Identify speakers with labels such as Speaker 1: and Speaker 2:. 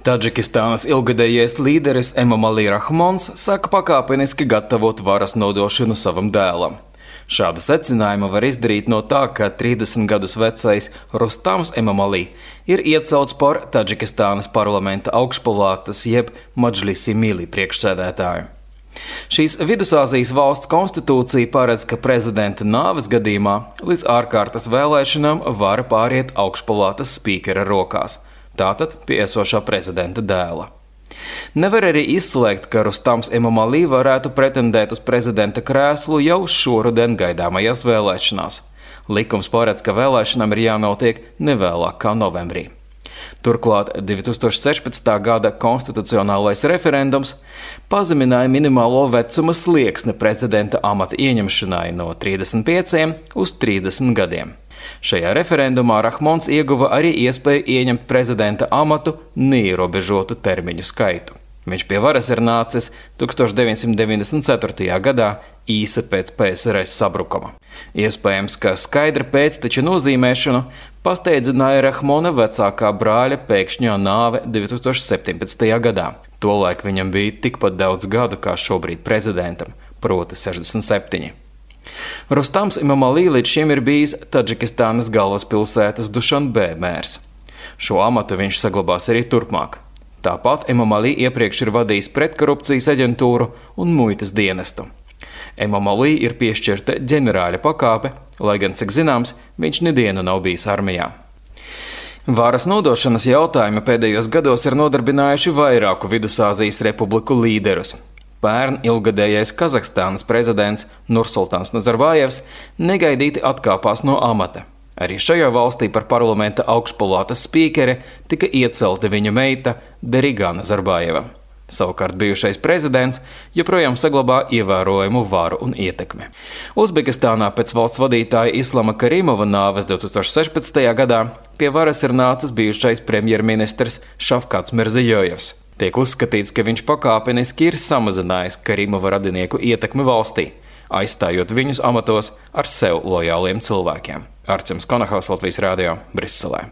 Speaker 1: Tadžikistānas ilgadējais līderis Emomali Rahmons saka pakāpeniski gatavot varas nodošanu savam dēlam. Šādu secinājumu var izdarīt no tā, ka 30 gadus vecais Rustams Emomali ir iecelts par Tadžikistānas parlamenta augšpalātas jeb Madžlisi Mili priekšsēdētāju. Šīs Vidusāzijas valsts konstitūcija paredz, ka prezidenta nāves gadījumā līdz ārkārtas vēlēšanām vara pāriet augšpalātas spīkera rokās, tātad pie esošā prezidenta dēla. Nevar arī izslēgt, ka Rustams Emomali varētu pretendēt uz prezidenta krēslu jau šoruden gaidāmajās vēlēšanās. Likums paredz, ka vēlēšanām ir jānotiek nevēlāk kā novembrī. Turklāt 2016. gada konstitucionālais referendums pazemināja minimālo vecuma slieksni prezidenta amata ieņemšanai no 35 uz 30 gadiem. Šajā referendumā Rahmons ieguva arī iespēju ieņemt prezidenta amatu neierobežotu termiņu skaitu. Viņš pie varas ir nācis 1994. gadā, īsi pēc PSRS sabrukuma. Iespējams, ka skaidra pēcteča nozīmēšanu pasteidzināja Rahmona vecākā brāļa pēkšņā nāve 2017. gadā. Tolaik viņam bija tikpat daudz gadu kā šobrīd prezidentam, proti 67. Rustams Emomali līdz šim ir bijis Tadžikistānas galvaspilsētas Dušanbē mērs. Šo amatu viņš saglabās arī turpmāk. Tāpat Emomali iepriekš ir vadījis pretkorupcijas aģentūru un muitas dienestu. Emomali ir piešķirta ģenerāļa pakāpe, lai gan, cik zināms, viņš nedienu nav bijis armijā. Varas nodošanas jautājumi pēdējos gados ir nodarbinājuši vairāku Vidusāzijas republiku līderus. Pērn ilgadējais Kazahstānas prezidents Nursultāns Nazarbājevs negaidīti atkāpās no amata. Arī šajā valstī par parlamenta augšpalātas spīkeri tika iecelta viņa meita Deriga Nazarbājeva. Savukārt bijušais prezidents joprojām saglabā ievērojamu varu un ietekmi. Uzbekistānā pēc valsts vadītāja Islama Karimova nāves 2016. gadā pie varas ir nācis bijušais premjerministrs Šafkats Mirzijojevs. Tiek uzskatīts, ka viņš pakāpeniski ir samazinājis Karimova radinieku ietekmi valstī, aizstājot viņus amatos ar sev lojāliem cilvēkiem. Arcims Konahaus, Latvijas Rādio, Briselē.